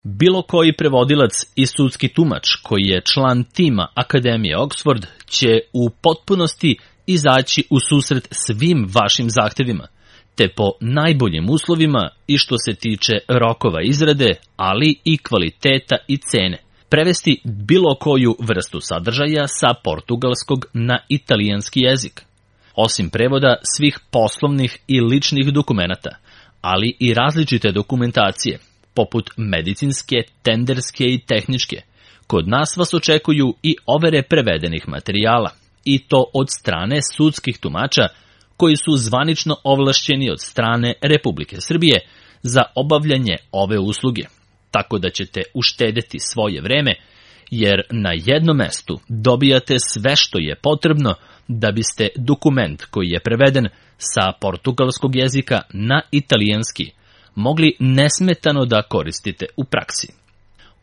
Bilo koji prevodilac i sudski tumač koji je član tima Akademije Oxford će u potpunosti izaći u susret svim vašim zahtevima, te po najboljim uslovima i što se tiče rokova izrade, ali i kvaliteta i cene, prevesti bilo koju vrstu sadržaja sa portugalskog na italijanski jezik. Osim prevoda svih poslovnih i ličnih dokumenata, ali i različite dokumentacije, poput medicinske, tenderske i tehničke, kod nas vas očekuju i overe prevedenih materijala, i to od strane sudskih tumača koji su zvanično ovlašćeni od strane Republike Srbije za obavljanje ove usluge, tako da ćete uštedeti svoje vreme, jer na jednom mestu dobijate sve što je potrebno da biste dokument koji je preveden sa portugalskog jezika na italijanski mogli nesmetano da koristite u praksi.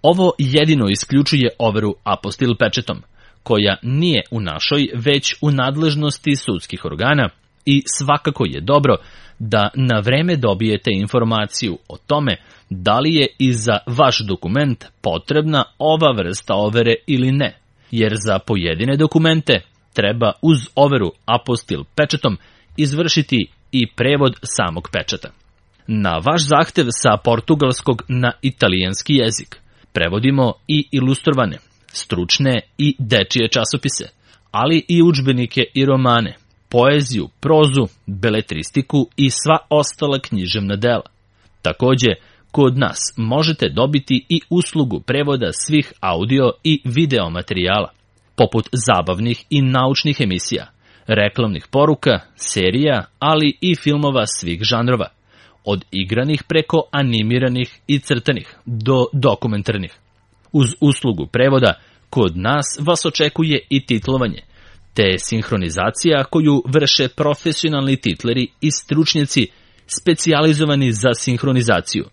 Ovo jedino isključuje overu apostil pečetom, koja nije u našoj, već u nadležnosti sudskih organa, i svakako je dobro da na vreme dobijete informaciju o tome da li je i za vaš dokument potrebna ova vrsta overe ili ne, jer za pojedine dokumente treba uz overu apostil pečetom izvršiti i prevod samog pečata. Na vaš zahtev sa portugalskog na italijanski jezik prevodimo i ilustrovane, stručne i dečije časopise, ali i udžbenike i romane, poeziju, prozu, beletristiku i sva ostala književna dela. Takođe, kod nas možete dobiti i uslugu prevoda svih audio i video materijala, poput zabavnih i naučnih emisija, reklamnih poruka, serija, ali i filmova svih žanrova, od igranih preko animiranih i crtanih do dokumentarnih. Uz uslugu prevoda, kod nas vas očekuje i titlovanje, te sinhronizacija koju vrše profesionalni titleri i stručnjaci specijalizovani za sinhronizaciju,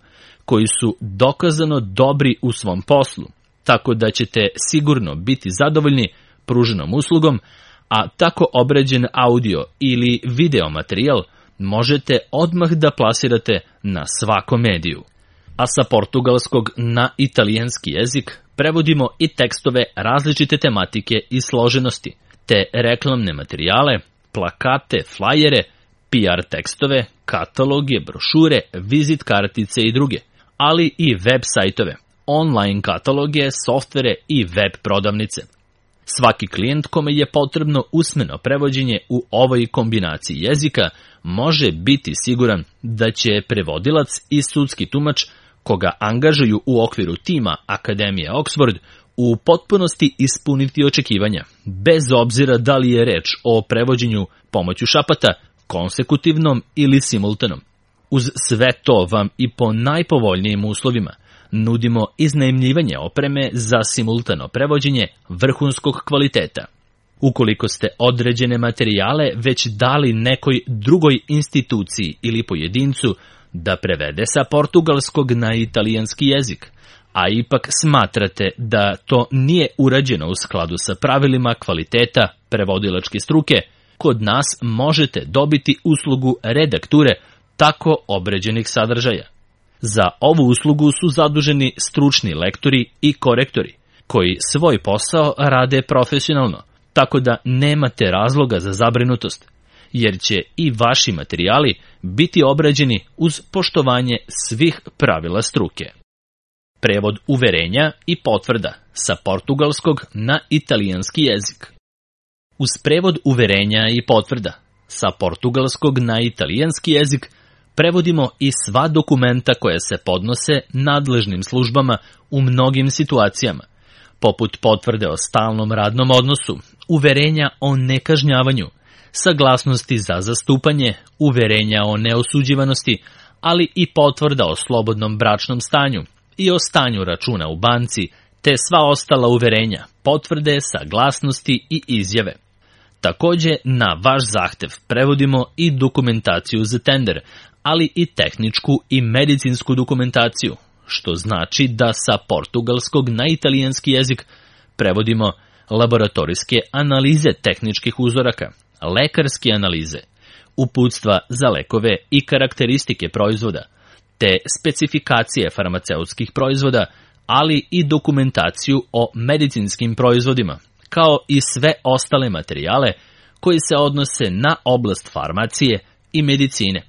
koji su dokazano dobri u svom poslu, tako da ćete sigurno biti zadovoljni pruženom uslugom, a tako obrađen audio ili video materijal možete odmah da plasirate na svakom mediju. A sa portugalskog na italijanski jezik prevodimo i tekstove različite tematike i složenosti, te reklamne materijale, plakate, flajere, PR tekstove, kataloge, brošure, vizit kartice i druge, ali i web sajtove, online kataloge, softvere i web prodavnice. Svaki klijent kome je potrebno usmeno prevođenje u ovoj kombinaciji jezika može biti siguran da će prevodilac i sudski tumač koga angažuju u okviru tima Akademije Oxford u potpunosti ispuniti očekivanja, bez obzira da li je reč o prevođenju pomoću šapata, konsekutivnom ili simultanom. Uz sve to vam i po najpovoljnijim uslovima nudimo iznajmljivanje opreme za simultano prevođenje vrhunskog kvaliteta. Ukoliko ste određene materijale već dali nekoj drugoj instituciji ili pojedincu da prevede sa portugalskog na italijanski jezik, a ipak smatrate da to nije urađeno u skladu sa pravilima kvaliteta prevodilačke struke, kod nas možete dobiti uslugu redakture tako obređenih sadržaja. Za ovu uslugu su zaduženi stručni lektori i korektori, koji svoj posao rade profesionalno, tako da nemate razloga za zabrinutost, jer će i vaši materijali biti obrađeni uz poštovanje svih pravila struke. Prevod uverenja i potvrda sa portugalskog na italijanski jezik. Uz prevod uverenja i potvrda sa portugalskog na italijanski jezik prevodimo i sva dokumenta koja se podnose nadležnim službama u mnogim situacijama, poput potvrde o stalnom radnom odnosu, uverenja o nekažnjavanju, saglasnosti za zastupanje, uverenja o neosuđivanosti, ali i potvrda o slobodnom bračnom stanju i o stanju računa u banci, te sva ostala uverenja, potvrde, saglasnosti i izjave. Takođe, na vaš zahtev prevodimo i dokumentaciju za tender, ali i tehničku i medicinsku dokumentaciju, što znači da sa portugalskog na italijanski jezik prevodimo laboratorijske analize tehničkih uzoraka, lekarske analize, uputstva za lekove i karakteristike proizvoda, te specifikacije farmaceutskih proizvoda, ali i dokumentaciju o medicinskim proizvodima, kao i sve ostale materijale koji se odnose na oblast farmacije i medicine.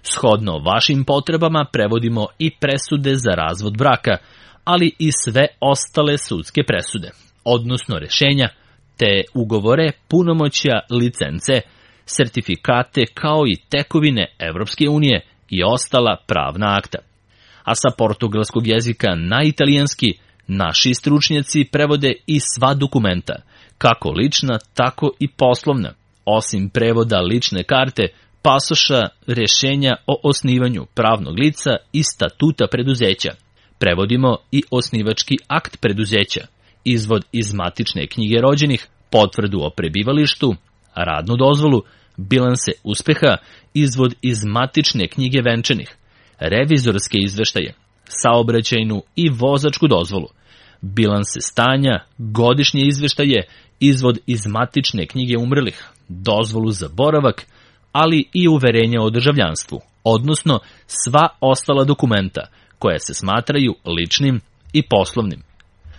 Shodno vašim potrebama prevodimo i presude za razvod braka, ali i sve ostale sudske presude, odnosno rešenja, te ugovore, punomoćja, licence, sertifikate kao i tekovine Evropske unije i ostala pravna akta. A sa portugalskog jezika na italijanski naši stručnjaci prevode i sva dokumenta, kako lična, tako i poslovna, osim prevoda lične karte, pasoša, rešenja o osnivanju pravnog lica i statuta preduzeća. Prevodimo i osnivački akt preduzeća, izvod iz matične knjige rođenih, potvrdu o prebivalištu, radnu dozvolu, bilanse uspeha, izvod iz matične knjige venčanih, revizorske izveštaje, saobraćajnu i vozačku dozvolu, bilanse stanja, godišnje izveštaje, izvod iz matične knjige umrlih, dozvolu za boravak, ali i uverenja o državljanstvu, odnosno sva ostala dokumenta koja se smatraju ličnim i poslovnim.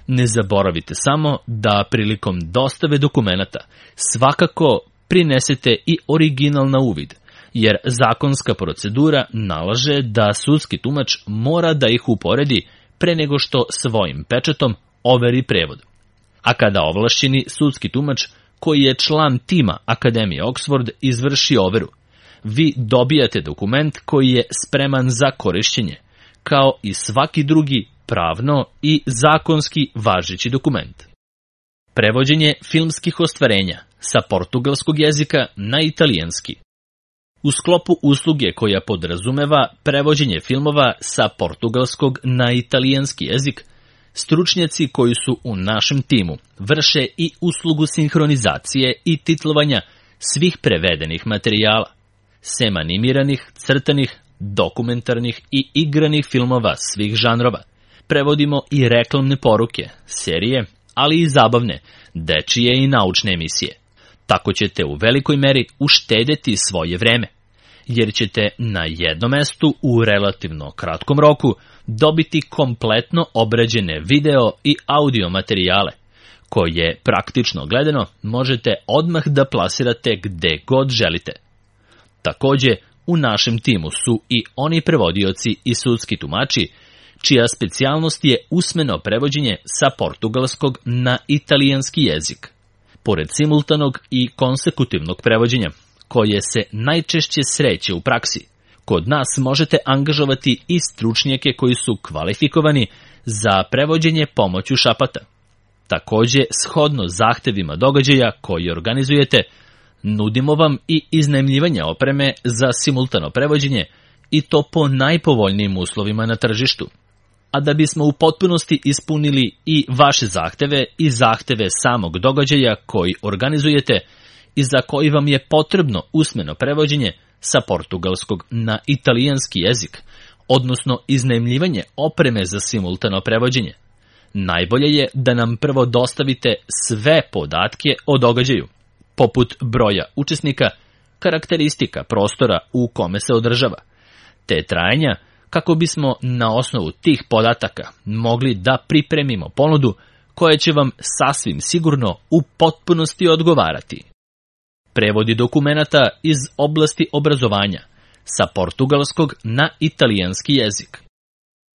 Ne zaboravite samo da prilikom dostave dokumenata svakako prinesete i original na uvid, jer zakonska procedura nalaže da sudski tumač mora da ih uporedi pre nego što svojim pečatom overi prevod. A kada ovlašćeni sudski tumač, koji je član tima Akademije Oxford, izvrši overu, vi dobijate dokument koji je spreman za korišćenje, kao i svaki drugi pravno i zakonski važeći dokument. Prevođenje filmskih ostvarenja sa portugalskog jezika na italijanski. U sklopu usluge koja podrazumeva prevođenje filmova sa portugalskog na italijanski jezik, stručnjaci koji su u našem timu vrše i uslugu sinhronizacije i titlovanja svih prevedenih materijala, sem animiranih, crtanih, dokumentarnih i igranih filmova svih žanrova. Prevodimo i reklamne poruke, serije, ali i zabavne, dečije i naučne emisije. Tako ćete u velikoj meri uštedeti svoje vreme, jer ćete na jednom mestu u relativno kratkom roku dobiti kompletno obrađene video i audio materijale, koje praktično gledano možete odmah da plasirate gde god želite. Takođe, u našem timu su i oni prevodioci i sudski tumači, čija specijalnost je usmeno prevođenje sa portugalskog na italijanski jezik. Pored simultanog i konsekutivnog prevođenja, koje se najčešće sreće u praksi, kod nas možete angažovati i stručnjake koji su kvalifikovani za prevođenje pomoću šapata. Takođe, shodno zahtevima događaja koji organizujete, nudimo vam i iznajmljivanje opreme za simultano prevođenje, i to po najpovoljnijim uslovima na tržištu. A da bismo u potpunosti ispunili i vaše zahteve i zahteve samog događaja koji organizujete i za koji vam je potrebno usmeno prevođenje sa portugalskog na italijanski jezik, odnosno iznajmljivanje opreme za simultano prevođenje, najbolje je da nam prvo dostavite sve podatke o događaju, poput broja učesnika, karakteristika prostora u kome se održava, te trajanja, kako bismo na osnovu tih podataka mogli da pripremimo ponudu koja će vam sasvim sigurno u potpunosti odgovarati. Prevodi dokumenata iz oblasti obrazovanja sa portugalskog na italijanski jezik.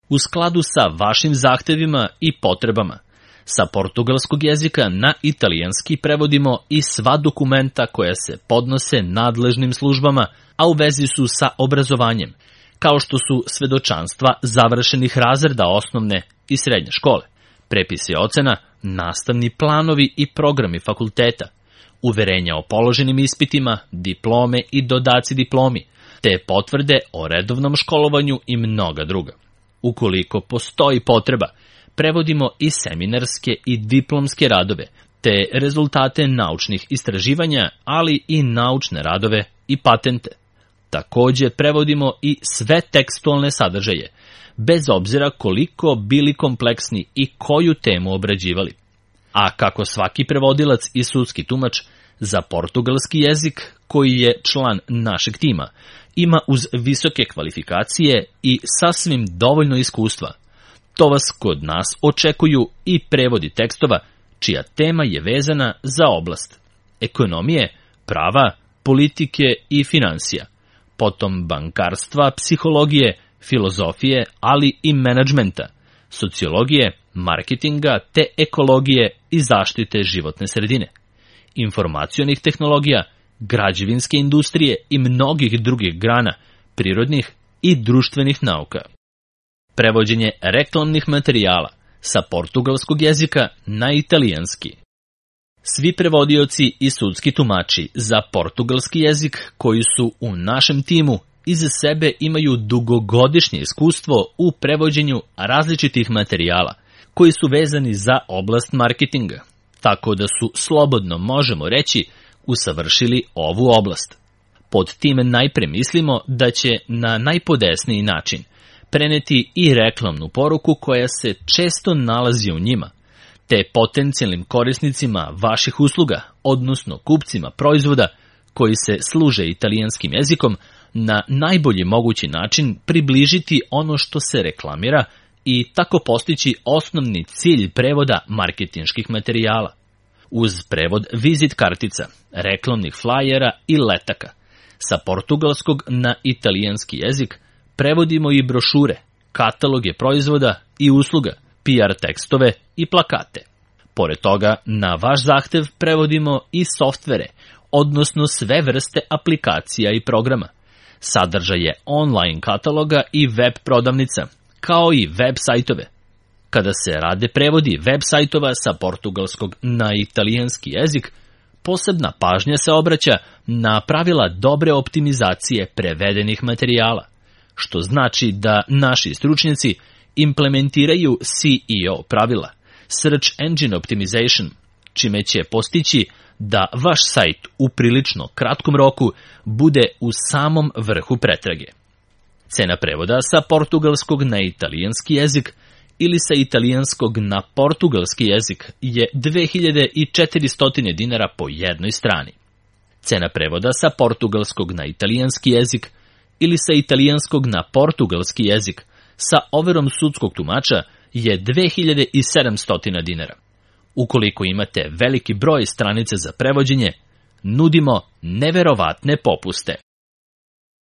U skladu sa vašim zahtevima i potrebama, sa portugalskog jezika na italijanski prevodimo i sva dokumenta koja se podnose nadležnim službama, a u vezi su sa obrazovanjem, kao što su svedočanstva završenih razreda osnovne i srednje škole, prepisi ocena, nastavni planovi i programi fakulteta, uverenja o položenim ispitima, diplome i dodaci diplomi, te potvrde o redovnom školovanju i mnoga druga. Ukoliko postoji potreba, prevodimo i seminarske i diplomske radove, te rezultate naučnih istraživanja, ali i naučne radove i patente. Takođe prevodimo i sve tekstualne sadržaje, bez obzira koliko bili kompleksni i koju temu obrađivali. A kako svaki prevodilac i sudski tumač za portugalski jezik, koji je član našeg tima, ima uz visoke kvalifikacije i sasvim dovoljno iskustva. To vas kod nas očekuju i prevodi tekstova čija tema je vezana za oblast ekonomije, prava, politike i finansija, potom bankarstva, psihologije, filozofije, ali i menadžmenta, sociologije, marketinga te ekologije i zaštite životne sredine, informacionih tehnologija, građevinske industrije i mnogih drugih grana prirodnih i društvenih nauka. Prevođenje reklamnih materijala sa portugalskog jezika na italijanski. Svi prevodioci i sudski tumači za portugalski jezik koji su u našem timu iza sebe imaju dugogodišnje iskustvo u prevođenju različitih materijala koji su vezani za oblast marketinga, tako da su, slobodno možemo reći, usavršili ovu oblast. Pod tim najpre mislimo da će na najpodesniji način preneti i reklamnu poruku koja se često nalazi u njima, te potencijalnim korisnicima vaših usluga, odnosno kupcima proizvoda koji se služe italijanskim jezikom, na najbolji mogući način približiti ono što se reklamira i tako postići osnovni cilj prevoda marketinških materijala. Uz prevod vizit kartica, reklamnih flajera i letaka, sa portugalskog na italijanski jezik prevodimo i brošure, kataloge proizvoda i usluga, PR tekstove i plakate. Pored toga, na vaš zahtev prevodimo i softvere, odnosno sve vrste aplikacija i programa, sadržaje online kataloga i web prodavnica, kao i web sajtove. Kada se rade prevodi web sajtova sa portugalskog na italijanski jezik, posebna pažnja se obraća na pravila dobre optimizacije prevedenih materijala, što znači da naši stručnjaci implementiraju SEO pravila, Search Engine Optimization, čime će postići da vaš sajt u prilično kratkom roku bude u samom vrhu pretrage. Cena prevoda sa portugalskog na italijanski jezik ili sa italijanskog na portugalski jezik je 2400 dinara po jednoj strani. Cena prevoda sa portugalskog na italijanski jezik ili sa italijanskog na portugalski jezik sa overom sudskog tumača je 2700 dinara. Ukoliko imate veliki broj stranica za prevođenje, nudimo neverovatne popuste.